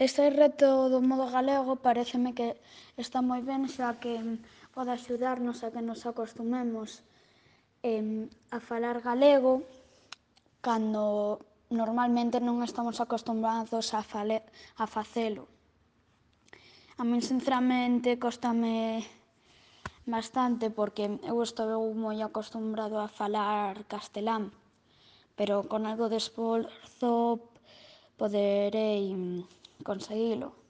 Este reto do modo galego pareceme que está moi ben, xa que pode axudarnos a que nos acostumemos a falar galego cando normalmente non estamos acostumbrados a facelo. A min, sinceramente, cóstame bastante porque eu estou moi acostumbrado a falar castelán, pero con algo de esforzo poderei conseguilo.